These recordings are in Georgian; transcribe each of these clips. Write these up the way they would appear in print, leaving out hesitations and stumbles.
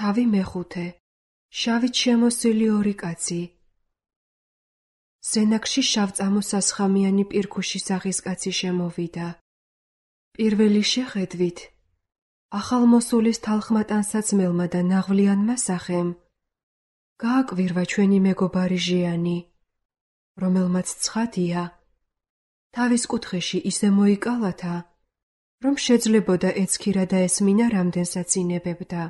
თავი მეხუთე. შავით შემოსილი ორი კაცი. სენაკში შავწამო-სასხამიანი პირქუში სახის კაცი შემოვიდა. პირველი შეხედვით ახალმოსულის თალხმატანსაცმელმა და ნაღვლიანმა სახემ გააკვირვა ჩვენი მეგობარი ჟიანი, რომელმაც ცხადია, თავის კუთხეში ისე მოიკალათა, რომ შეძლებოდა ეცქირა და ესმინა რამდენსაც ინებებდა.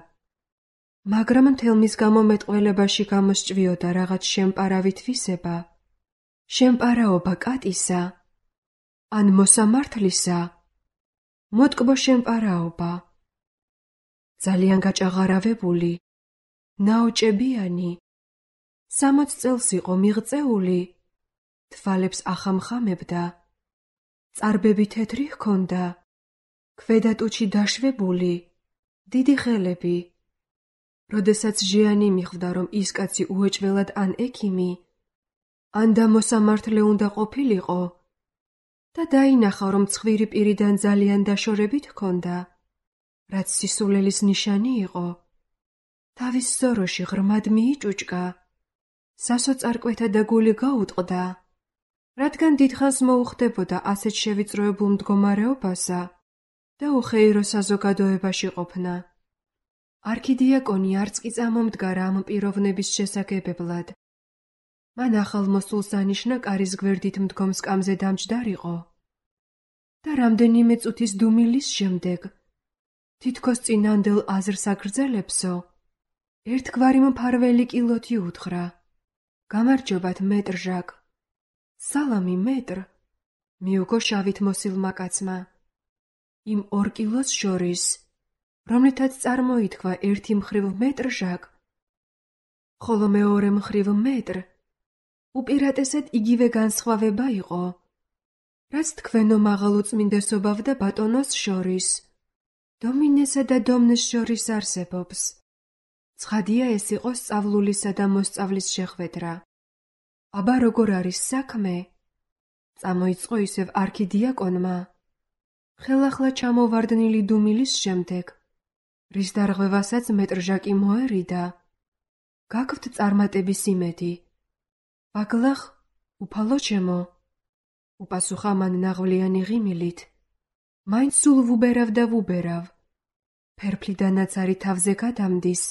მაგრამ მთელმის გამომეტყველებაში გამოსჭვიოდა რაღაც შემპარავი თვისება, შემპარაობა კატისა, ან მოსამართლისა, მოტკბო შემპარაობა. ძალიან გაჭაღარავებული, ნაოჭებიანი, 60 წელს იყო მიღწეული, თვალებს ახამხამებდა, წარბები თეთრი ჰქონდა, ქვედა ტუჩი დაშვებული, დიდი ხელები. როდესაც ჟიანი მიხვდა, რომ ის კაცი უეჭველად ან ექიმი, ან და მოსამართლე უნდა ყოფილიყო და დაინახა, რომ ცხვირი პირიდან ძალიან დაშორებით ჰქონდა, რაც სისულელის ნიშანი იყო, თავის სოროში ღრმად მიიჭუჭკა, სასოწარკვეთა და გული გაუტყდა, რადგან დიდხანს მოუხდებოდა ასეთ შევიწროებულ მდგომარეობასა და უხეირო საზოგადოებაში ყოფნა. არქიდიაკონი არც კი წამომდგარა ამ პიროვნების შესაგებებლად. მან ახალმოსულს ანიშნა კარის გვერდით მდგომ სკამზე დამჯდარიყო და რამდენიმე წუთის დუმილის შემდეგ, თითქოს წინანდელ აზრს აგრძელებსო, ერთგვარი მფარველი კილოთი უთხრა. გამარჯობათ, მეტრ ჟაკ. სალამი, მეტრ, მიუგო შავით მოსილმა კაცმა. იმ 2 კილოს შორის, რომლითაც წარმოითქვა ერთი მხრივ მეტრ ჟაკ, ხოლო მეორე მხრივ მეტრ, უპირატესად იგივე განსხვავება იყო, რაც თქვენო მაღალუწმინდესობავ და ბატონოს შორის, დომინესა და დომნეს შორის არსებობს. ცხადია ეს იყო სწავლულისა და მოსწავლის შეხვედრა. აბა როგორ არის საქმე? წამოიწყო ისევ არქიდიაკონმა, ხელახლა ჩამოვარდნილი დუმილის შემდეგ, რის დარღვევასაც მეტრ ჟაკი მოერიდა. გაქვთ წარმატების იმედი. ბაგლახ, უფალო ჩემო, უპასუხა მან ნაღვლიანი ღიმილით. მაინც სულ ვუბერავ და ვუბერავ. ფერფლიდანაც არის თავზე გადამდის,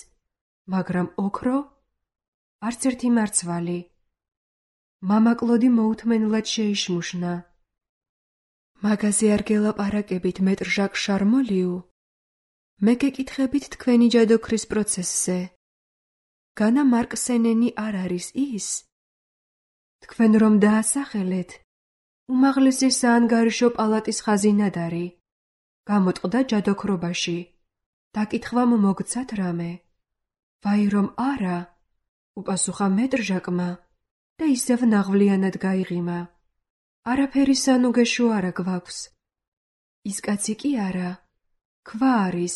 მაგრამ ოქრო, არც ერთი მარცვალი. მამაკლოდი მოუთმენლად შეიშმუშნა. მაგაზე არ გელაპარაკებით, მეტრ ჟაკ შარმოლიუ. მე გეკითხებით თქვენი ჯადოქრის პროცესზე. განა მარკ სენენი არ არის ის? თქვენ რომ დაასახელეთ, უმაღლესი საანგარიშო პალატის ხაზინადარი. გამოტყდა ჯადოქრობაში. დაკითხვამ მოგცათ რამე? ვაი რომ არა, უპასუხა მეტრ ჟაკმა და ისევ ნაღვლიანად გაიღიმა. არაფერი სანუგეშო არა გვაქვს. ის კაცი კი არა, ქვა არის.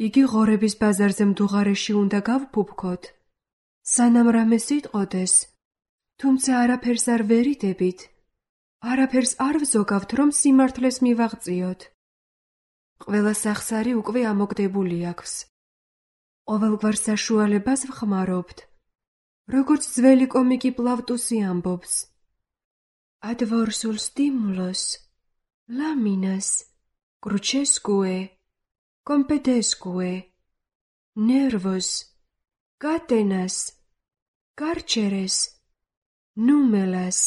იგი ღორების ბაზარზე მდუღარეში უნდა გავფუფქოთ. სანამ რამეს იტყოდეს, თუმცა არაფერს არ ვერიდებით. არაფერს არ ვზოგავთ, რომ სიმართლეს მივაღწიოთ. ყველა სახსარი უკვე ამოგდებული აქვს. ყოველგვარ საშუალებას ვხმარობთ, როგორც ძველი კომიკი პლავტუსი ამბობს. adversul stimulus, laminas, crucesque, compedesque, nervos, catenas, carceres, numelas,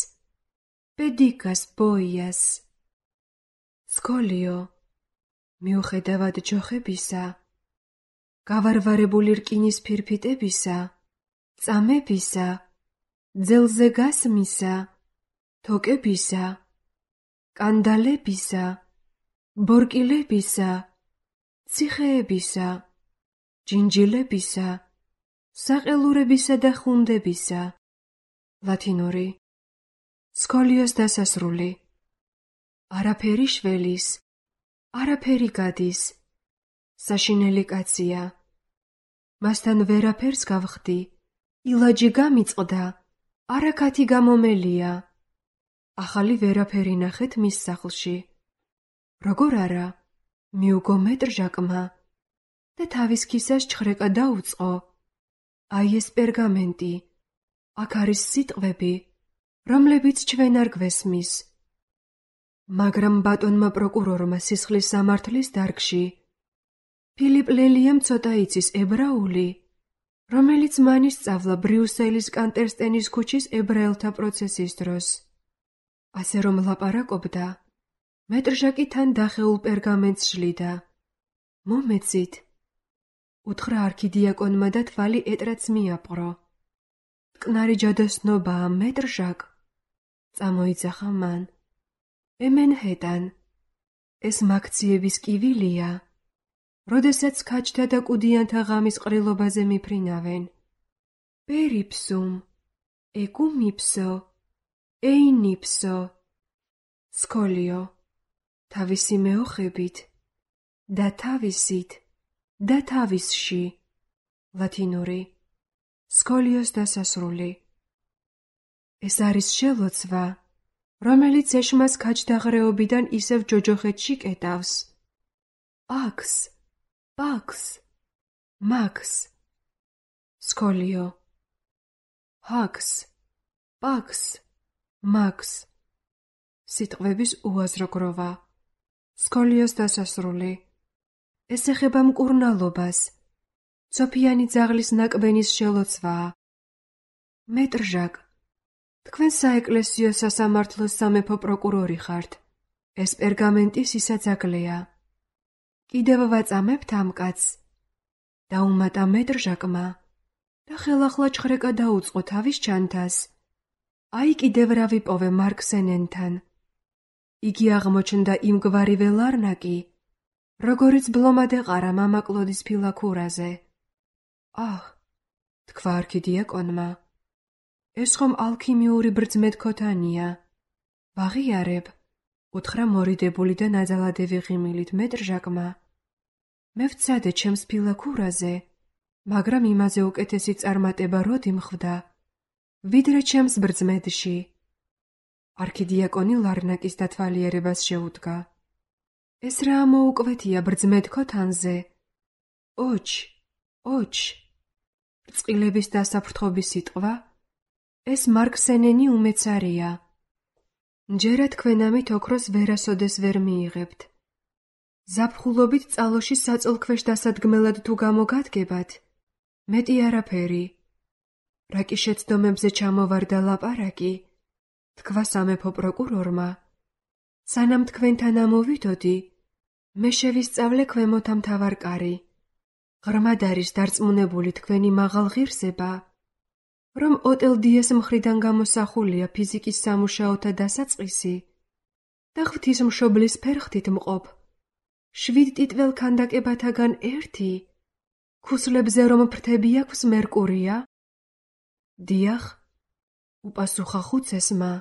pedicas boias. სკოლიო, მიუხედავად ჯოხებისა, გავარვარებული რკინის ფირფიტებისა, წამებისა, ძელზე გასმისა, თოკებისა, კანდალებისა, ბორკილებისა, ციხეებისა, ჯინჯილებისა, საყელურებისა და ხუნდებისა. ლათინური. სკოლიოს დასასრული. არაფერი შველის, არაფერი გადის. საშინელი კაცია. მასთან ვერაფერს გავხდი. ილაჯი გამიწყდა. არაქათი გამომელია. ახალი ვერაფერი ნახეთ მის სახლში. როგორ არა? მიუგო მეტრ ჟაკმა. და თავის ქისას ჩხრეკა დაუწყო. აი ეს პერგამენტი, აქ არის სიტყვები, რომლებიც ჩვენ არ გვესმის. მაგრამ ბატონმა პროკურორმა სისხლის სამართლის დარგში ფილიპ ლელიამ ცოტა იცის ებრაული, რომელიც მან ისწავლა ბრიუსელის კანტერსტენის ქუჩის ებრაელთა პროცესის დროს. ასე რომ ლაპარაკობდა, მეტრჟაკი თან დახეულ პერგამენტს შლიდა. მომეცით, უთხრა არქიდიაკონმა და თვალი ეტრაც მიაპყრო. მტკნარი ჯადოსნობაა, მეტრჟაკ, წამოიძახა მან. ემენჰეტან, ეს მაქციების კივილია, როდესაც ქაჯთა და კუდიანთა ღამის ყრილობაზე მიფრინავენ. პერიფსუმ, ეკუმიფსო, ეინიფსო, სკოლიო, თავისი მეოხებით და თავისით და თავისში, ლათინური, სკოლიოს დასასრული. ეს არის შელოცვა, რომელიც ეშმას ქაჯდაღრეობიდან ისევ ჯოჯოხეთში კეტავს. აქს, პაქს, მაქს, სკოლიო, ჰაქს, პაქს, მაქს, სიტყვების უაზრო გროვა, სკოლიოს დასასრული. ეს ეხება მკურნალობას, ცოფიანი ძაღლის ნაკბენის შელოცვაა. მეტრჟაკ, თქვენ საეკლესიო სასამართლოს სამეფო პროკურორი ხართ. ეს პერგამენტი სისაძაგლეა. კიდევ ვაწამებთ ამ კაცს. დაუმატა მეტრჟაკმა და ხელახლა ჩხრეკა დაუწყო თავის ჩანთას. აი კიდევ რა ვიპოვე მარკ სენენთან. იგი აღმოჩნდა იმგვარივე ლარნაკი, როგორიც ბლომად ეყარა მამა კლოდის ფილაქურაზე. აჰ, თქვა არქიდიაკონმა, ეს ხომ ალქიმიური ბრძმეთქოთანია. ვაღიარებ, უთხრა მორიდებული და ნაძალადევი ღიმილით მეტრჟაკმა. მე ვცადე ჩემს ფილაქურაზე, მაგრამ იმაზე უკეთესი წარმატება როდი მხვდა, ვიდრე ჩემს ბრძმედში. არქიდიაკონი ლარნაკის დათვალიერებას შეუდგა. ეს რა მოუკვეთია ბრძმეთქოთანზე? ოჩ, ოჩ, რწყილების დასაფრთხობის სიტყვა? ეს მარკ სენენი უმეცარია. მჯერა თქვენ ამით ოქროს ვერასოდეს ვერ მიიღებთ. ზაფხულობით წალოში საწოლქვეშ დასადგმელად თუ გამოგადგებათ, მეტი არაფერი. რა კი შეცდომებზე ჩამოვარდა ლაპარაკი, თქვა სამეფო პროკურორმა. სანამ თქვენთან ამოვიდოდი, მე შევისწავლე ქვემოთ ამთავარ კარი. ღრმად არის დარწმუნებული თქვენი მაღალ ღირსება, რომ ოტელ დიეს მხრიდან გამოსახულია ფიზიკის სამუშაოთა დასაწყისი და ღვთისმშობლის ფერხთით მყოფ 7 ტიტվել ქანდაკებათაგან ერთი, ქუსლებზე რომ ფრთები აქვს მერკურია? დიახ, უპასუხა ხუცესმა.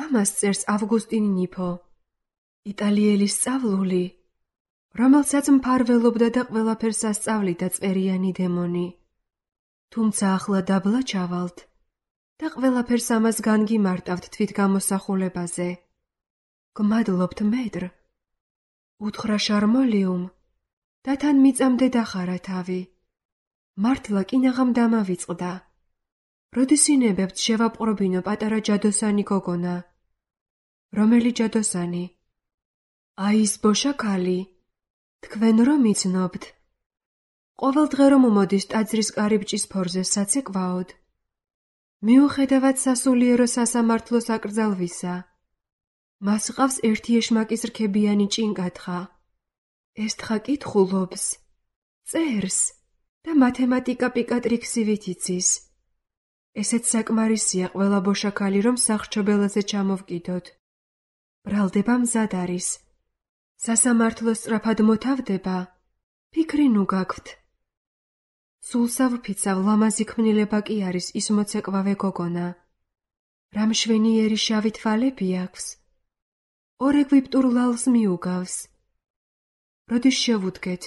ამას წერს ავგუსტინ ნიფო, იტალიელი სწავლული, რომელსაც მფარველობდა და ყველაფერს ასწავლიდა წერიანი დემონი. თუმცა ახლა დაბლა ჩავალთ და ყველაფერს ამას განგიმარტავთ თვითგამოსახულებაზე. გმადლობთ მეტრ, უთხრა შარმოლიუმ და თან მიწამდე დახარა თავი. მართლა კინაღამ დამავიწყდა. როდის ინებებთ შევაპყრობინო პატარა ჯადოსანი გოგონა? რომელი ჯადოსანი? აი ის ბოშაქალი, თქვენ რომ იცნობთ. ყოველ დღე რომ მოდის ტაძრის კარიბჭის ფორზე საცეკვაოდ. მიუხედავად სასულიერო სასამართლოს აკრძალვისა, მას ყავს ერთი ეშმაკის რქებიანი ჭინკათხა. ეს თხა კითხულობს, წერს და მათემატიკა პიკატრიქსივით იცის. ესეც საკმარისია ყველა ბოშაქალი, რომ სახრჩობელაზე ჩამოვკიდოთ. ბრალდება მზად არის. სასამართლო სწრაფად მოთავდება, ფიქრი ნუ გაქვთ. სულსა ვფიცავ, ლამაზი ქმნილება კი არის ის მოცეკვავე გოგონა. რა მშვენიერი შავი თვალები აქვს. ორ ეგვიპტურ ლალს მიუგავს. როდის შევუდგეთ?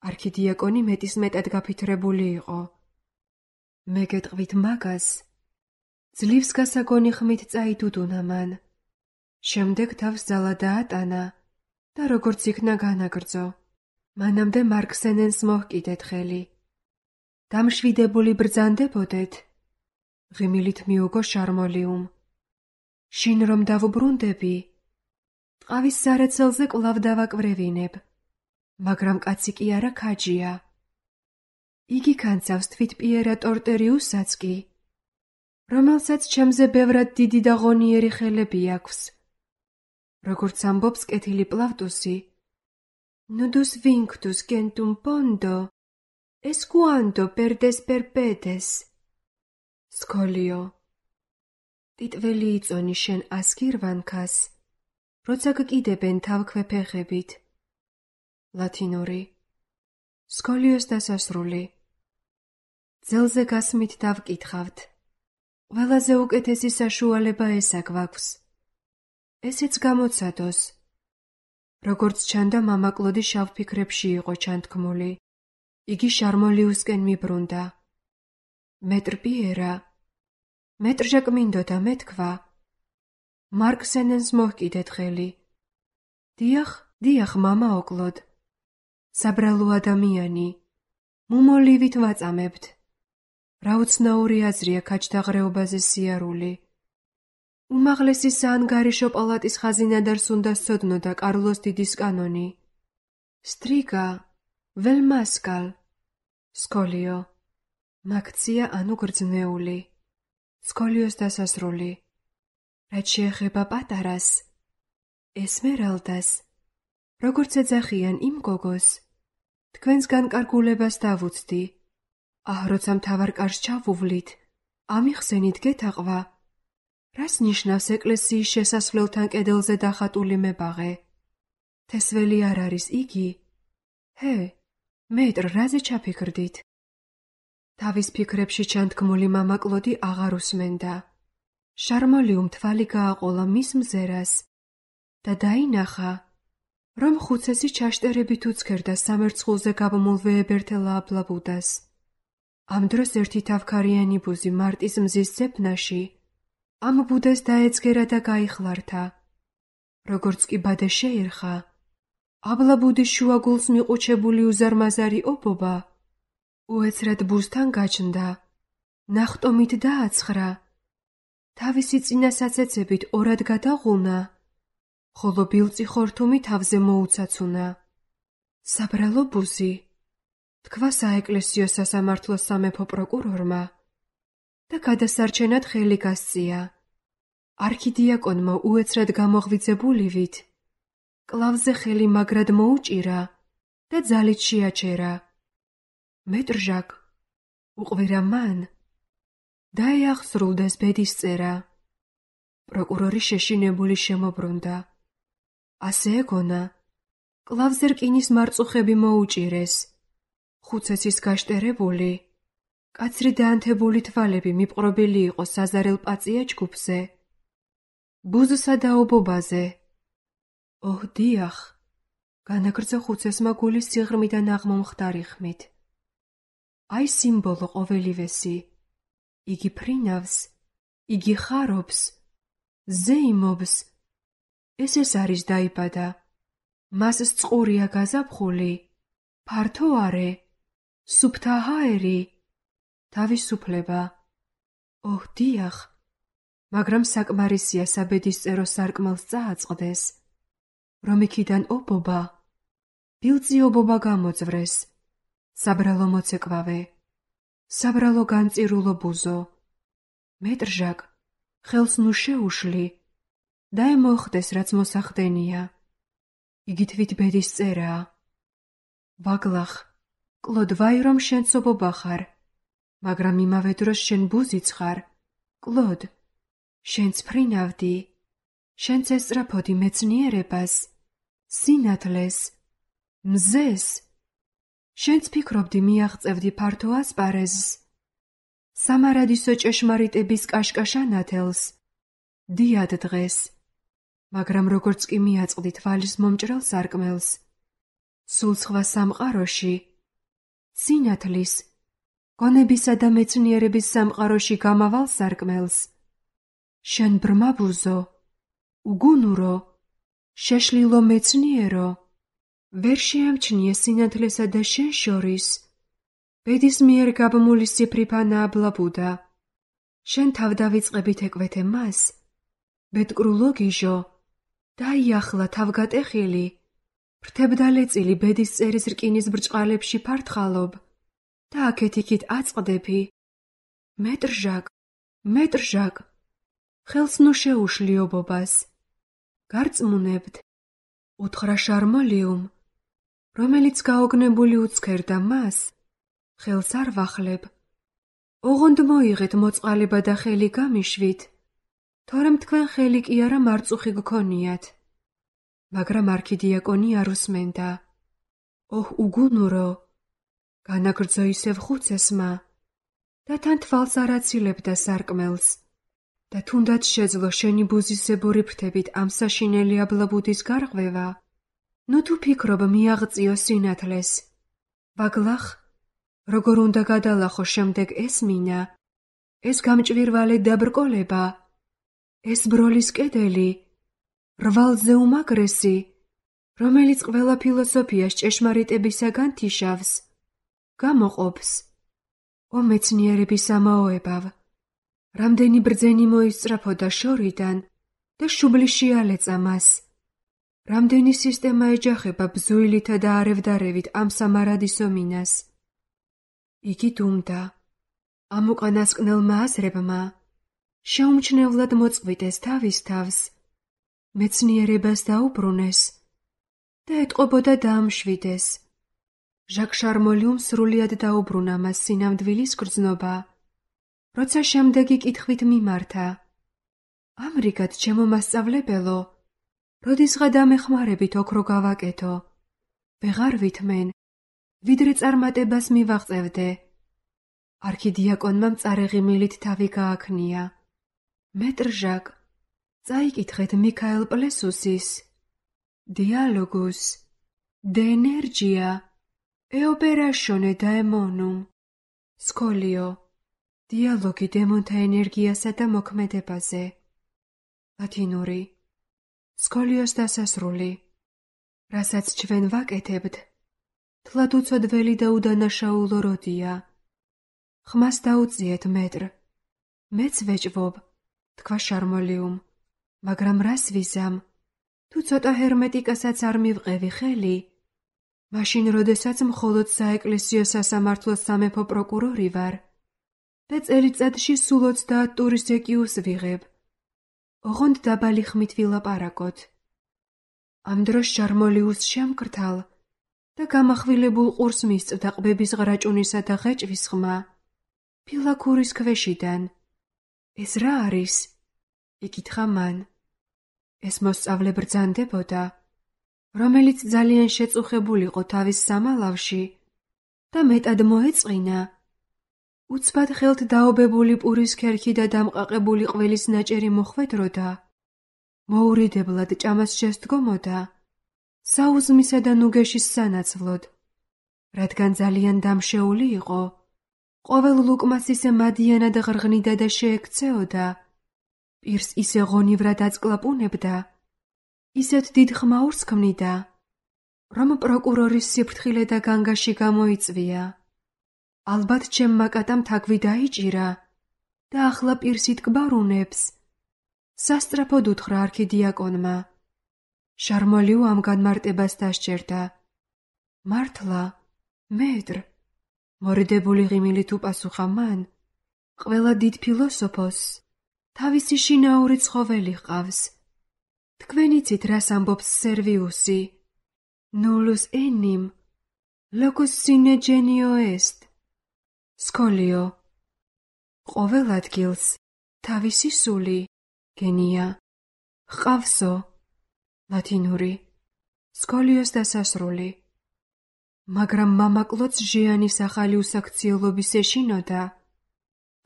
არქიდიაკონი მეტისმეტად გაფითრებული იყო. მე გეტყვით მაგას, ძლივს გასაგონი ხმით წაიდუდუნა მან. შემდეგ თავს ძალა დაატანა და როგორც იქნა განაგრძო. მანამდე მარქსენენს მოჰკიდეთ ხელი. დამშვიდებული ბრძანდებოდეთ, ღიმილით მიუგო შარმოლიუმ. შინ რომ დავუბრუნდები, ტყავის სარეცელზე კვლავ დავაკვრევინებ, მაგრამ კაცი კი არა ქაჯია. იგი განცავს თვით პიერა ტორტერიუსსაც კი, რომელსაც ჩემზე ბევრად დიდი და ღონიერი ხელები აქვს. როგორც ამბობს კეთილი პლავტუსი, nudus vinctus centum pondo, esquando perdes perpedes. სკოლიო, ტიტველი იწონი შენ ასკირვანქას, როცა გკიდებენ თავქვეფეხებით. ლათინური. სკოლიოს დასასრული. ძელზე გასმით დავკითხავთ. ყველაზე უკეთესი საშუალება ესა გვაქვს. ესეც გამოცადოს. როგორც ჩანდა, მამა კლოდი შავ ფიქრებში იყო ჩანთქმული. იგი შარმოლიუსკენ მიბრუნდა. მეტრ პიერა, მეტრ ჟაკ მინდოდა მეთქვა. მარქსენენს მოჰკიდეთ ხელი. დიახ, მამა ოკლოდ. საბრალო ადამიანი, მუმოლივით ვაწამებთ. რა უცნაური აზრია ქაჯთაღრეობაზე სიარული. უმაღლესი საანგარიშო პალატის ხაზინადარს უნდა სცოდნოდა კარლოს დიდის კანონი. სტრიგა, ველმასკალ. სკოლიო, მაქცია ანუ გრძნეული. სკოლიოს დასასრული. რაც შეეხება პატარას, ესმერალდას, როგორც ეძახიან იმ გოგოს, თქვენს განკარგულებას დავუცდი. როცა მთავარ კარს ჩავუვლით, ამიხსენით გეთაყვა, რას ნიშნავს ეკლესიის შესასვლელთან კედელზე დახატული მებაღე? თესველი არ არის იგი? მეტრ, რაზე ჩაფიქრდით? თავის ფიქრებში ჩანთქმული მამა კლოდი აღარ უსმენდა. შარმოლიუმ თვალი გააყოლა მის მზერას და დაინახა, რომ ხუცესი ჩაშტერებით უცქერდა სამერცხულზე გაბმულ ვეებერთელა აბლაბუდას. ამ დროს ერთი თავქარიანი ბუზი მარტის მზის ძებნაში ამ ბუდეს დაეცგერა და გაიხლართა. როგორც კი ბადე შეერხა, აბლაბუდის შუაგულს მიყუჩებული უზარმაზარი ობობა უეცრად ბუზთან გაჩნდა, ნახტომით დააცხრა, თავისი წინასაცეცებით ორად გადაღუნა, ხოლო ბილწი ხორთუმი თავზე მოუცაცუნა. საბრალო ბუზი, თქვა საეკლესიო სასამართლოს სამეფო პროკურორმა და გადასარჩენად ხელი გასწია. არქიდიაკონმა უეცრად გამოღვიძებულივით კლავზე ხელი მაგრად მოუჭირა და ძალით შეაჩერა. მეტრ ჟაკ, უყვირა მან, დაეახსრულდეს ბედის წერა. პროკურორი შეშინებული შემობრუნდა. ასე ეგონა, კლავზე რკინის მარწუხები მოუჭირეს. ხუცესის გაშტერებული, კაცრი დაანთებული თვალები მიპყრობილი იყო საზარელ პაწია ჯგუფზე, ბუზსა და ობობაზე. დიახ, განაგრძო ხუცესმა გულის სიღრმიდან აღმომხდარი ხმით. აი სიმბოლო ყოველივესი. იგი ფრინავს, იგი ხარობს, ზეიმობს. ეს არის დაიბადა. მას წყურია გაზაფხული, ფართო არე, სუფთა ჰაერი, თავისუფლება. დიახ, მაგრამ საკმარისია საბედისწერო სარკმელს წააწყდეს, რომ იქიდან ობობა, ბილწი ობობა გამოძვრეს. საბრალო მოცეკვავე, საბრალო განწირულო ბუზო. მეტრ ჟაკ, ხელს ნუ შეუშლი, დაემოხდეს რაც მოსახდენია. იგი თვით ბედის წერაა. ვაგლახ, კლოდ, ვაი რომ შენც ობობა ხარ, მაგრამ იმავე დროს შენ ბუზიც ხარ. კლოდ, შენც ფრინავდი, შენც ესწრაფოდი მეცნიერებას, სინათლეს, მზეს, შენც ფიქრობდი მიაღწევდი ფართო ასპარეზს, სამარადისო ჭეშმარიტების კაშკაშანათელს, დიად დღეს, მაგრამ როგორც კი მიაწყდი თვალის მომჭრელ სარკმელს, სულ სხვა სამყაროში, სინათლის, გონებისა და მეცნიერების სამყაროში გამავალ სარკმელს, შენ ბრმა ბუზო, უგუნურო, შეშლილო მეცნიერო, ვერ შეამჩნია სინათლესა და შენ შორის. ბედის მიერ გაბმული სიფრიფანა აბლაბუდა. შენ თავდავიწყებით ეკვეთე მას. ბედკრულო გიჟო, დაიახლა თავგატეხილი. ფრთებდალეწილი ბედის წერის რკინის ბრჭყალებში ფართხალობ და აქეთ-იქით აწყდები. მეტრჟაკ, ხელს ნუ შეუშლიობობას. გარწმუნებთ, უთხრა შარმოლიუმ, რომელიც გაოგნებული უცქერდა მას, ხელს არ ვახლებ. ოღონდ მოიღეთ მოწყალება და ხელი გამიშვით, თორემ თქვენ ხელი კი არა მარწუხი გქონიათ. მაგრამ არქიდიაკონი არ უსმენდა. ოჰ უგუნურო, განაგრძო ისევ ხუცესმა და თან თვალს არ აცილებდა სარკმელს და თუნდაც შეძლო შენი ბუზისებური ფრთებით ამ საშინელი აბლაბუდის გარღვევა, ნუ თუ ფიქრობ მიაღწიო სინათლეს. ვაგლახ, როგორ უნდა გადალახო შემდეგ ეს მინა, ეს გამჭვირვალე დაბრკოლება, ეს ბროლის კედელი, რვალზე უმაგრესი, რომელიც ყველა ფილოსოფიას ჭეშმარიტებისაგან თიშავს, გამოყოფს. ო მეცნიერების ამაოებავ, რამდენი ბრძენი მოისწრაფოდა შორიდან და შუბლი შეალეწა მას. რამდენი სისტემა ეჯახება ბზუილითა და არევდარევით ამ სამარადისო მინას. იგი დუმდა. ამ უკანასკნელმა აზრებმა შეუმჩნევლად მოწყვიტეს თავის თავს, მეცნიერებას დაუბრუნეს და ეტყობოდა დაამშვიდეს. ჟაკ შარმოლიუმ სრულიად დაუბრუნა მას სინამდვილის გრძნობა, როცა შემდეგი კითხვით მიმართა. ამრიგად, ჩემო მასწავლებელო, როდისღა დამეხმარებით ოქრო გავაკეთო, ვეღარ ვითმენ, ვიდრე წარმატებას მივაღწევდე. არქიდიაკონმა მწარეღიმილით თავი გააქნია. მეტრჟაკ, წაიკითხეთ მიქაელ პლესუსის დიალოგუს de energia e operatione daemonum. სკოლიო, დიალოგი დემონთა ენერგიასა და მოქმედებაზე. ლათინური. სკოლიოს დასასრული, რასაც ჩვენ ვაკეთებთ, თლად უცოდველი და უდანაშაულო როდია. ხმას დაუწიეთ მეტრ, მეც ვეჭვობ, თქვა შარმოლიუმ, მაგრამ რას ვიზამ? თუ ცოტა ჰერმეტიკასაც არ მივყევი ხელი, მაშინ როდესაც მხოლოდ საეკლესიო სასამართლოს სამეფო პროკურორი ვარ და წელიწადში სულ 30 ტურის ეკიუს ვიღებ. ოღონდ დაბალი ხმით ვილაპარაკოთ. ამ დროს შარმოლიუს შემკრთალ და გამახვილებულ ყურს მისწვდა ყბების ღრაჭუნისა და ღეჭვის ხმა. ფილაქურის ქვეშიდან. ეს რა არის? იკითხა მან. ეს მოსწავლე ბრძანდებოდა, რომელიც ძალიან შეწუხებულიყო თავის სამალავში და მეტად მოეწყინა. უცბად ხელთ დაობებული პურის ქერქი და დამყაყებული ყველის ნაჭერი მოხვედროდა, მოურიდებლად ჭამას შესდგომოდა, საუზმისა და ნუგეშის სანაცვლოდ, რადგან ძალიან დამშეული იყო, ყოველ ლუკმას ისე მადიანად ღრღნიდა და შეექცეოდა, პირს ისე ღონივრად აწკლაპუნებდა, ისეთ დიდ ხმაურს ქმნიდა, რომ პროკურორის სიფრთხილე და განგაში გამოიწვია. ალბათ ჩემმა კატამ თაგვი დაიჭირა და ახლა პირს იტკბარუნებს. სასწრაფოდ უთხრა არქიდიაკონმა. შარმოლიუ ამ განმარტებას დასჯერდა. მართლა, მეტრ, მორიდებული ღიმილით უპასუხა მან, ყველა დიდ ფილოსოფოსს თავისი შინაური ცხოველი ჰყავს. თქვენ იცით, რას ამბობს სერვიუსი? nullus enim, locus sine genio est. სკოლიო, ყოველ ადგილს თავისი სული, გენია, ჰყავსო. ლათინური. სკოლიოს დასასრული. მაგრამ მამაკლოც ჟიანის ახალი უსაქციელობის ეშინოდა,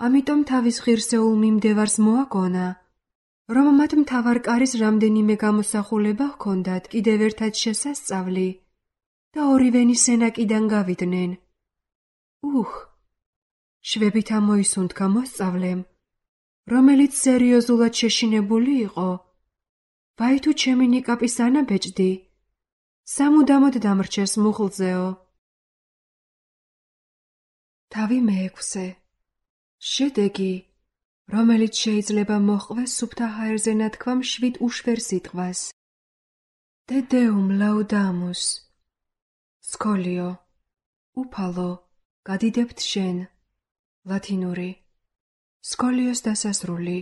ამიტომ თავის ღირსეულ მიმდევარს მოაგონა, რომ მათ მთავარ კარის რამდენიმე გამოსახულება ჰქონდათ კიდევ ერთად შესასწავლი და ორივენი სენაკიდან გავიდნენ. შვებით ამოისუნთქა მოსწავლემ, რომელიც სერიოზულად შეშინებული იყო. ვაი თუ ჩემი ნიკაპის ანაბეჭდი, სამუდამოდ დამრჩეს მუხლზეო. თავი მეექვსე. შედეგი, რომელიც შეიძლება მოჰყვეს სუფთა ჰაერზე ნათქვამ 7 უშვერ სიტყვას. Te Deum laudamus. სკოლიო. უფალო, გადიდებთ შენ. ლათინური. სკოლიოს დასასრული.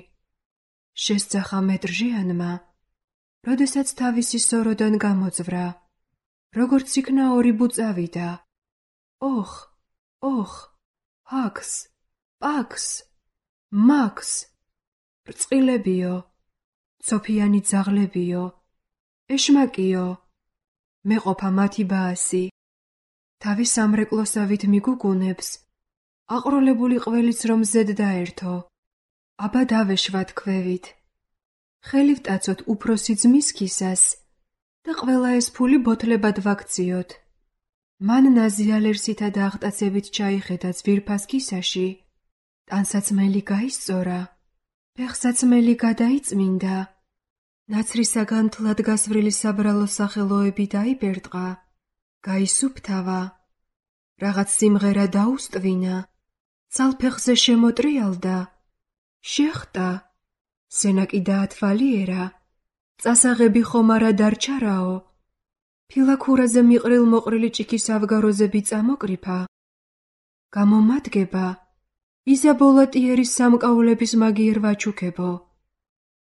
შესძახა მეტრჟიანმა, როდესაც თავისი სოროდან გამოძვრა, როგორც იქნა ორი ბუწავიდა. ოხ, ოხ, ჰაქს, პაქს, მაქს, რწყილებიო, ცოფიანი ძაღლებიო, ეშმაკიო, მეყოფა მათი ბაასი. თავი სამრეკლოსავით მიგუგუნებს, აყროლებული ყველიც რომ ზედ დაერთო, აბა დავეშვათ ქვევით. ხელი ვტაცოთ უფროსი ძმის ქისას და ყველა ეს ფული ბოთლებად ვაქციოთ. მან ნაზიალერსითა და აღტაცებით ჩაიხედა ძვირფას ქისაში, ტანსაცმელი გაისწორა, ფეხსაცმელი გადაიწმინდა, ნაცრისაგან თლად გასვრილი საბრალო სახელოები დაიბერტყა, გაისუფთავა, რაღაც სიმღერა დაუსტვინა, ცალფეხზე შემოტრიალდა, შეხტა, სენაკი დაათვალიერა, წასაღები ხომარა დარჩარაო, ფილაქურაზე მიყრილ მოყრილი ჭიქის ავგაროზები წამოკრიფა, გამომადგება, იზაბოლატიერის სამკაულების მაგიერ ვაჩუქებო,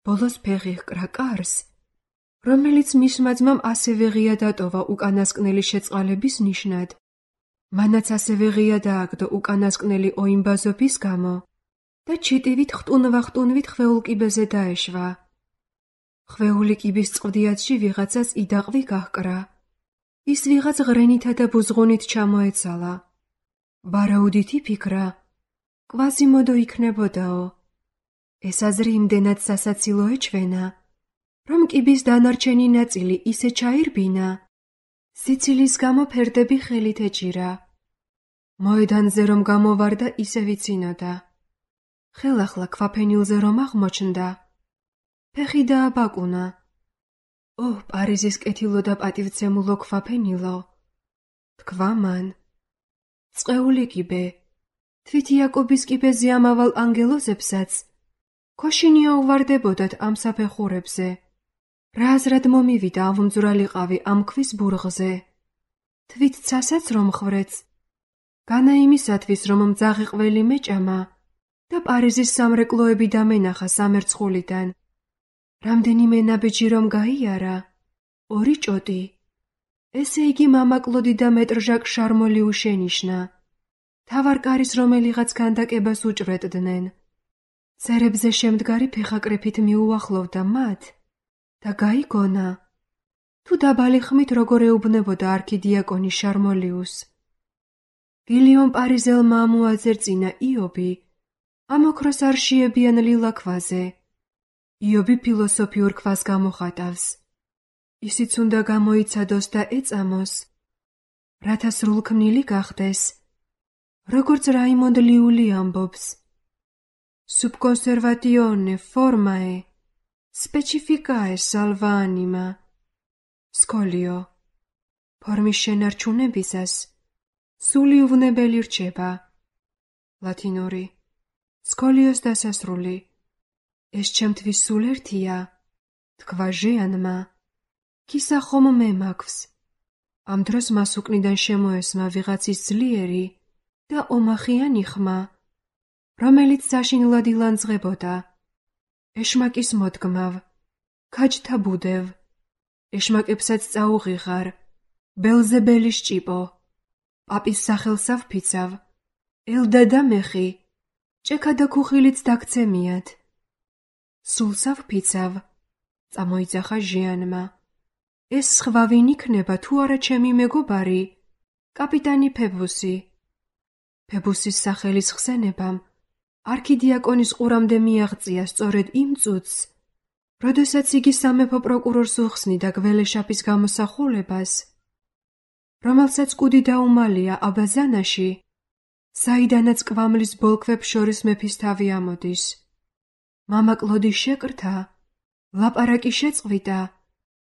ბოლოს ფეხი ჰკრა კარს, რომელიც მისმა ძმამ ასევე ღია დატოვა უკანასკნელი შეწყალების ნიშნად, მანაც ასევე ღია დააგდო უკანასკნელი ოიმბაზობის გამო და ჩიტივით ხტუნვა-ხტუნვით ხვეულ კიბეზე დაეშვა. ხვეული კიბის წყვდიათში ვიღაცას იდაყვი გაჰკრა. ის ვიღაც ღრენითა და ბუზღუნით ჩამოეცალა. ვარაუდით იფიქრა, კვაზიმოდო იქნებოდაო. ეს აზრი იმდენად სასაცილო ეჩვენა, რომ კიბის დანარჩენი ნაწილი ისე ჩაირბინა, სიცილის გამო ფერდები ხელით ეჭირა. მოედანზე რომ გამოვარდა ისე ვიცინოდა. ხელახლა ქვაფენილზე რომ აღმოჩნდა, ფეხი დააბაკუნა. ო, პარიზის კეთილო და პატივცემულო ქვაფენილო, თქვა მან. წყეული კიბე, თვით იაკობის კიბეზე ამავალ ანგელოზებსაც, ქოშინია უვარდებოდათ ამ საფეხურებზე. რა აზრად მომივიდა ავუნძვრალიყავი ამ ქვის ბურღზე. თვით ცასაც რომ ხვრეც, განა იმისათვის რომ მძაღი ყველი მეჭამა და პარიზის სამრეკლოები დამენახა სამერცხულიდან. რამდენიმე ნაბიჯი რომ გაიარა, 2 ჭოდი. ესე იგი მამა კლოდი და მეტრ ჟაკ შარმოლი უშენიშნა. თავარ კარის რომელიღაც ქანდაკებას უჭვრეტდნენ. ცერებზე შემდგარი ფეხაკრეფით მიუახლოვდა მათ და გაიგონა, თუ დაბალი ხმით როგორ ეუბნებოდა არქიდიაკონი შარმოლიუს. გილიონ პარიზელმა ამოაძერწინა იობი, ამ ოქროს არ შეებიან ლილა ქვაზე. იობი ფილოსოფიურ ქვას გამოხატავს. ისიც უნდა გამოიცადოს და ეწამოს, რათა სრულქმნილი გახდეს, როგორც რაიმონდ ლიული ამბობს. Subconservatione formae, specificae salva anima. სკოლიო. ფორმის შენარჩუნებისას სული უვნებელი რჩება. ლათინური. სკოლიოს დასასრული. ეს ჩემთვის სულ ერთია, თქვა ჟიანმა. ქისა ხომ მე მაქვს. ამ დროს მას უკნიდან შემოესმა ვიღაცის ძლიერი და ომახიანი ხმა, რომელიც საშინლად ილანძღებოდა. ეშმაკის მოდგმავ, ქაჯთა ბუდევ, ეშმაკებსაც წაუღიღარ, ბელზებელის ჭიპო, პაპის სახელს ავფიცავ, ელდა და მეხი, ჭექა და ქუხილიც დაგცემიათ. სულს ავფიცავ, წამოიძახა ჟიანმა. ეს სხვა ვინ იქნება თუ არა ჩემი მეგობარი, კაპიტანი ფებუსი. ფებუსის სახელის ხსენებამ არქიდიაკონის ყურამდე მიაღწია სწორედ იმ წუთს, როდესაც იგი სამეფო პროკურორს უხსნიდა გველეშაპის გამოსახულებას, რომელსაც კუდი დაუმალია აბაზანაში, საიდანაც კვამლის ბოლქვებს შორის მეფის თავი ამოდის. მამა კლოდი შეკრთა, ლაპარაკი შეწყვიტა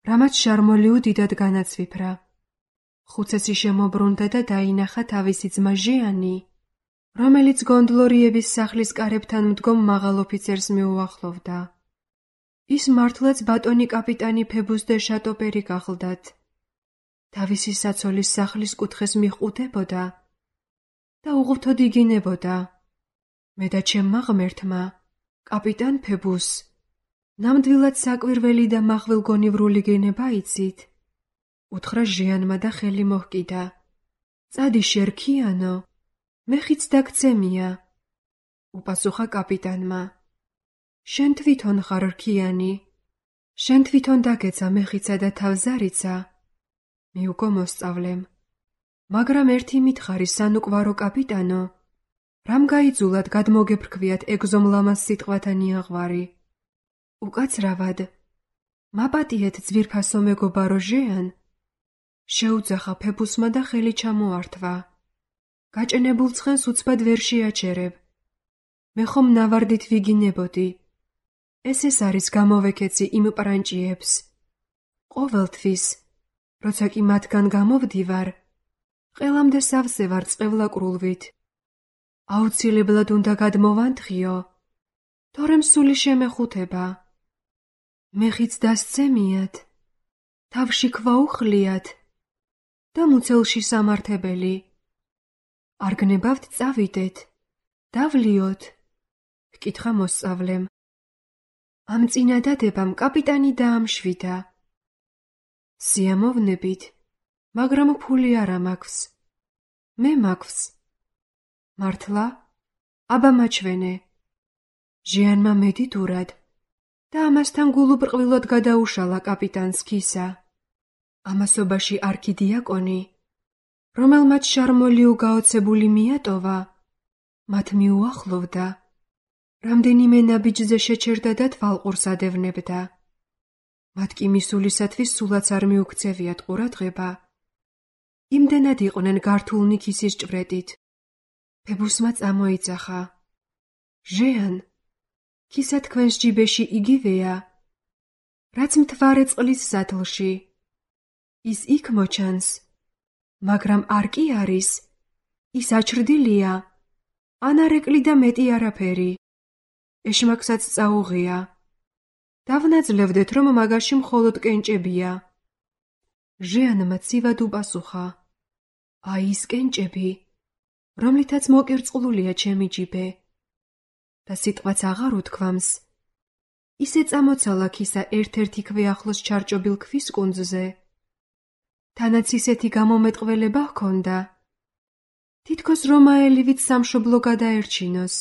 რამაც შარმოლიუ დიდად განაცვიფრა. ხუცესი შემობრუნდა და დაინახა თავისი ძმა ჟიანი, რომელიც გონდლორიების სახლის კარებთან მდგომ მაღალ ოფიცერს მიუახლოვდა. ის მართლაც ბატონი კაპიტანი ფებუს დე შატოპერი გახლდათ. თავისი საცოლის სახლის კუთხეს მიჰყუდებოდა და უღრთოდ იგინებოდა. მე და ჩემმა ღმერთმა, კაპიტან ფებუს, ნამდვილად საკვირველი და მახვილგონივრული გენება იცით? უთხრა ჟიანმა და ხელი მოჰკიდა. წადი შერქიანო, მე ხიც დაგცემია. უპასუხა კაპიტანმა. შენ თვითონ ხარ რქიანი, შენ თვითონ დაგეცა მეხიცა და თავზარიცა. მიუგო მოსწავლემ, მაგრამ ერთი მითხარი სანუკვარო კაპიტანო, რამ გაიძულათ გადმოგეფრქვიათ ეგზომ ლამას სიტყვათა ნიაღვარი? უკაცრავად, მაპატიეთ ძვირფასო მეგობარო ჟიან, შეუძახა ფებუსმა და ხელი ჩამოართვა. გაჭენებულ ცხენს უცბად ვერ შეაჩერებ. მე ხომ ნავარდით ვიგინებოდი. ეს არის გამოვეკეცი იმ პრანჭიებს. ყოველთვის, როცა კი მათგან გამოვდივარ, ყველამდე სავსე ვარ წყევლაკრულვით. აუცილებლად უნდა გადმოვანთხიო, თორემ სული შემეხუთება. მე ხიც დასცემიათ, თავში ქვა უხლიათ და მუცელში სამართებელი. არ გნებავთ წავიდეთ, დავლიოთ, ჰკითხა მოსწავლემ. ამ წინადადებამ კაპიტანი დაამშვიდა. სიამოვნებით, მაგრამ ფული არა მაქვს. მე მაქვს. მართლა? აბა მაჩვენე. ჟიანმა მედიდურად და ამასთან გულუბრყვილად გადაუშალა კაპიტანს ქისა. ამასობაში არქიდიაკონი, რომელმაც შარმოლიუ გაოცებული მიატოვა, მათ მიუახლოვდა, რამდენიმე ნაბიჯზე შეჩერდა და თვალყურს ადევნებდა. მათ კი მისულისათვის სულაც არ მიუქცევიათ ყურადღება. იმდენად იყვნენ გართულნი ქისის ჭვრეტით. ფებუსმა წამოიძახა. ჟიან, ქისა თქვენს ჯიბეში იგივეა, რაც მთვარე წყლის სათლში. ის იქ მოჩანს, მაგრამ არ კი არის, ის აჩრდილია, ან არ ეკლიდა მეტი არაფერი. ეშმაკსაც წაუღია. დავნაძლევდეთ, რომ მაგაში მხოლოდ კენჭებია. ჟიანმა ცივად უპასუხა. აი ის კენჭები, რომლითაც მოკირწყლულია ჩემი ჯიბე. და სიტყვაც აღარ უთქვამს. ისე წამოცალა ქისა ერთ-ერთი ქვე ახლოს ჩარჭობილ ქვის კუნძზე. თანაც ისეთი გამომეტყველება ჰქონდა, თითქოს რომაელივით სამშობლო გადაერჩინოს.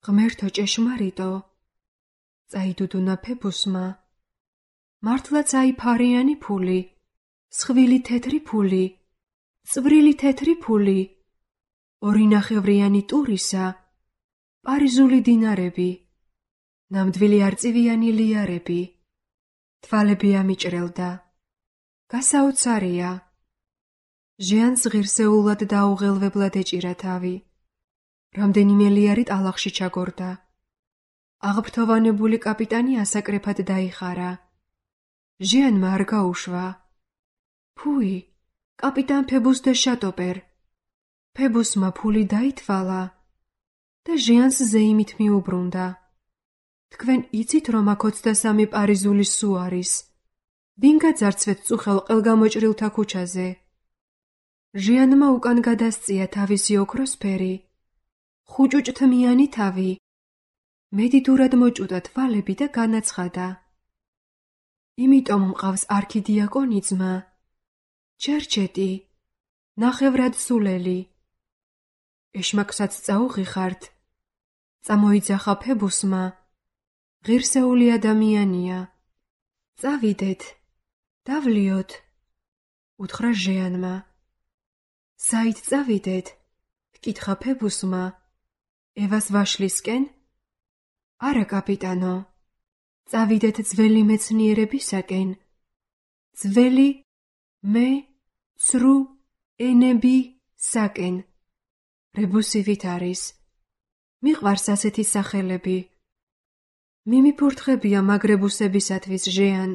ღმერთო ჭეშმარიტო, წაიდუდუნა ფებუსმა. მართლაც აიფარიანი ფული, სხვილი თეთრი ფული, წვრილი თეთრი ფული, ორინახევრიანი ტურისა, პარიზული დინარები, ნამდვილი არწივიანი ლიარები. თვალები ამიჭრელდა. გასაოცარია. ჟიანს ღირსეულად და აუღელვებლად ეჭირა თავი. რამდენიმე ლიარი ტალახში ჩაგორდა. აღფრთოვანებული კაპიტანი ასაკრეფად დაიხარა. ჟიანმა არ გაუშვა. ფუი, კაპიტან ფებუს დე შატოპერ. ფებუსმა ფული დაითვალა და ჟიანს ზეიმით მიუბრუნდა. თქვენ იცით, რომ აქ 23 პარიზული სუ არის. ვინ გაძარცვეთ წუხელ ყველგამოჭრილთა ქუჩაზე? ჟიანმა უკან გადასწია თავისი ოქროსფერი, ხუჭუჭთმიანი თავი. მედიდურად მოჭუდა თვალები და განაცხადა. იმიტომ მყავს არქიდიაკონი ძმა, ჩერჩეტი, ნახევრად სულელი. ეშმაკსაც წაუღიხართ. წამოიძახა ფებუსმა. ღირსეული ადამიანია. წავიდეთ, დავლიოთ, უთხრა ჟიანმა. საით წავიდეთ? ჰკითხა ფებუსმა. ევას ვაშლისკენ? არა, კაპიტანო. წავიდეთ ძველი მეცნიერებისაკენ. ძველი ცრუ ენებისაკენ. რებუსივით არის. მიყვარს ასეთი სახელები. მიმიფურთხებია მაგრებუსებისათვის ჟიან.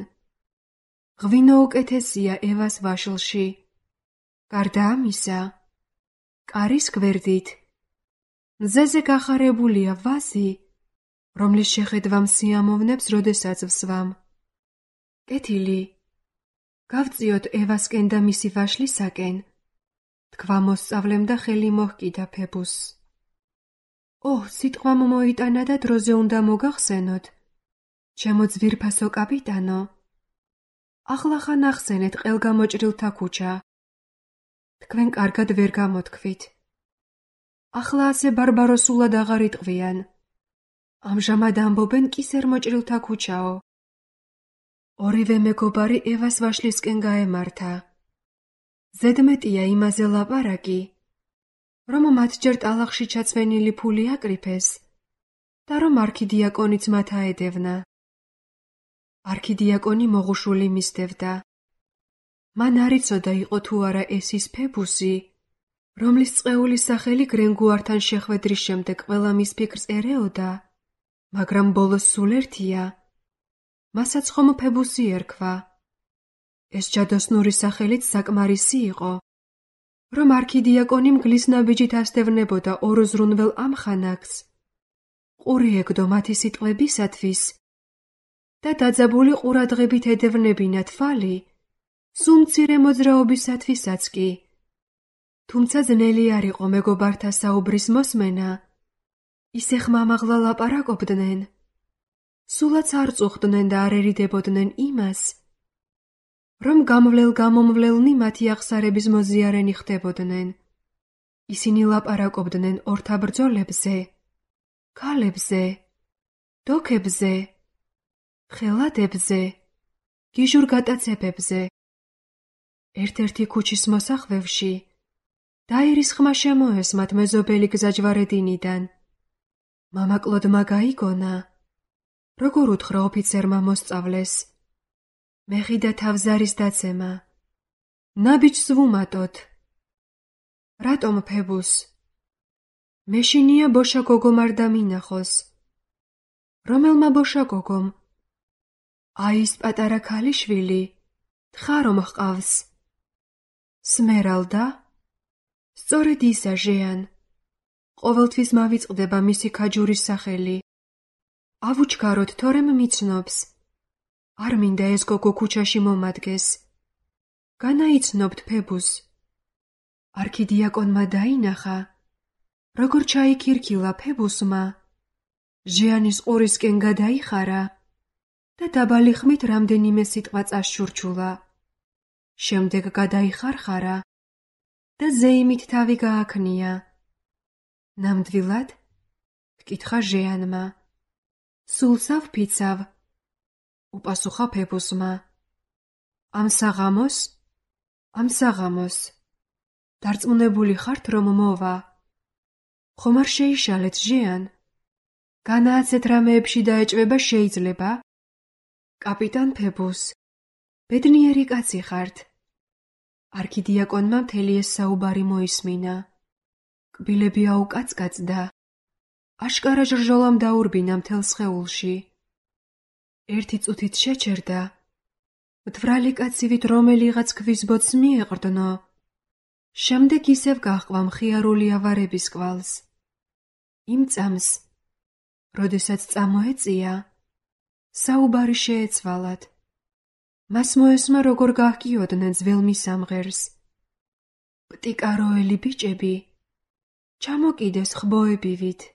ღვინო უკეთესია ევას ვაშლში. გარდა ამისა, კარის გვერდით მზეზე გახარებულია ვაზი, რომლის შეხედვამ სიამოვნებს, როდესაც ვსვამ. კეთილი, გავწიოთ ევასკენ და მისი ვაშლისაკენ, თქვა მოსწავლემ და ხელი მოჰკიდა ფებუსს. სიტყვამ მოიტანა და დროზე უნდა მოგახსენოთ, ჩემო ძვირფასო კაპიტანო. ახლახან ახსენეთ ყელგამოჭრილთა ქუჩა. თქვენ კარგად ვერ გამოთქვით. ახლა ასე ბარბაროსულად აღარ იტყვიან. ამჟამად ამბობენ კისერმოჭრილთა ქუჩაო. ორივე მეგობარი ევას ვაშლისკენ გაემართა. ზედმეტია იმაზე ლაპარაკი, რომ მათ ჯერ ტალახში ჩაცვენილი ფული აკრიფეს და რომ არქიდიაკონიც მათ აედევნა. არქიდიაკონი მოღუშული მისდევდა. მან არ იცოდა იყო თუ არა ეს ის ფებუსი, რომლის წყეულის სახელი გრენგუართან შეხვედრის შემდეგ ყველა მის ფიქრს ერეოდა, მაგრამ ბოლოს სულ ერთია. მასაც ხომ ფებუსი ერქვა. ეს ჯადოსნური სახელიც საკმარისი იყო, რომ არქიდიაკონი მგლის ნაბიჯით ასდევნებოდა ორ ზრუნველ ამხანაგს, ყური ეკდო მათი სიტყვებისათვის და დაძაბული ყურადღებით ედევნებინა თვალი სულ მცირე მოძრაობისათვისაც კი. თუმცა ძნელი არ იყო მეგობართა საუბრის მოსმენა, ისე ხმამაღლა ლაპარაკობდნენ, სულაც არ წუხდნენ და არ ერიდებოდნენ იმას, რომ გამვლელ-გამომვლელნი მათი აღსარების მოზიარენი ხდებოდნენ. ისინი ლაპარაკობდნენ ორთაბრძოლებზე, ქალებზე, დოქებზე, ხელადებზე, გიჟურ გატაცებებზე. ერთ-ერთი ქუჩის მოსახვევში დაირის ხმა შემოესმათ მეზობელი გზაჯვარედინიდან. მამაკლოდმა გაიგონა, როგორ უთხრა ოფიცერმა მოსწავლეს. მეხიდა თავზარის დაცემა. ნაბიჯს ვუმატოთ. რატომ ფებუს? მეშინია ბოშა გოგომ არ დამინახოს. რომელმა ბოშა გოგომ? ის პატარა ქალიშვილი, თხა რომ ჰყავს. სმერალდა? სწორედ ისა ჟეან. ყოველთვის მავიწყდება მისი ქაჯურის სახელი. ავუჩქაროთ, თორემ მიცნობს. არ მინდა ეს გოგო ქუჩაში მომადგეს. განაიცნობთ ფებუს. არქიდიაკონმა დაინახა, როგორ ჩაიქირქილა ფებუსმა, ჟეანის ყურისკენ გადაიხარა და დაბალი ხმით რამდენიმე სიტყვა წაშურჩულა. შემდეგ გადაიხარხარა და ზეიმით თავი გააქნია. ნამდვილად? ჰკითხა ჟეანმა. სულ სავფიცავ? უპასუხა ფებუსმა. ამ საღამოს? ამ საღამოს. დარწმუნებული ხართ, რომ მოვა? ხომ არ შეიშალეთ ჟეან? განააცეთ რამეებში დაეჭვება შეიძლება? კაპიტან ფებუს, ბედნიერი კაცი ხართ. არქიდიაკონმა მთელი ეს საუბარი მოისმინა. კბილები აუკაცკაცდა. აშკარა ჟრჟოლამ დაურბინა მთელ სხეულში. ერთი წუთით შეჩერდა. მთვრალი კაცივით რომელიღაც ქვის ბოძს მიეყრდნო. შემდეგ ისევ გაჰყვა მხიარული ავარების კვალს. იმ წამს, როდესაც წამოეწია, საუბარი შეეცვალათ. მას მოესმა, როგორ გაჰკიოდნენ ძველ მისამღერს. პტიკაროელი ბიჭები, ჩამოკიდეს ხბოებივით.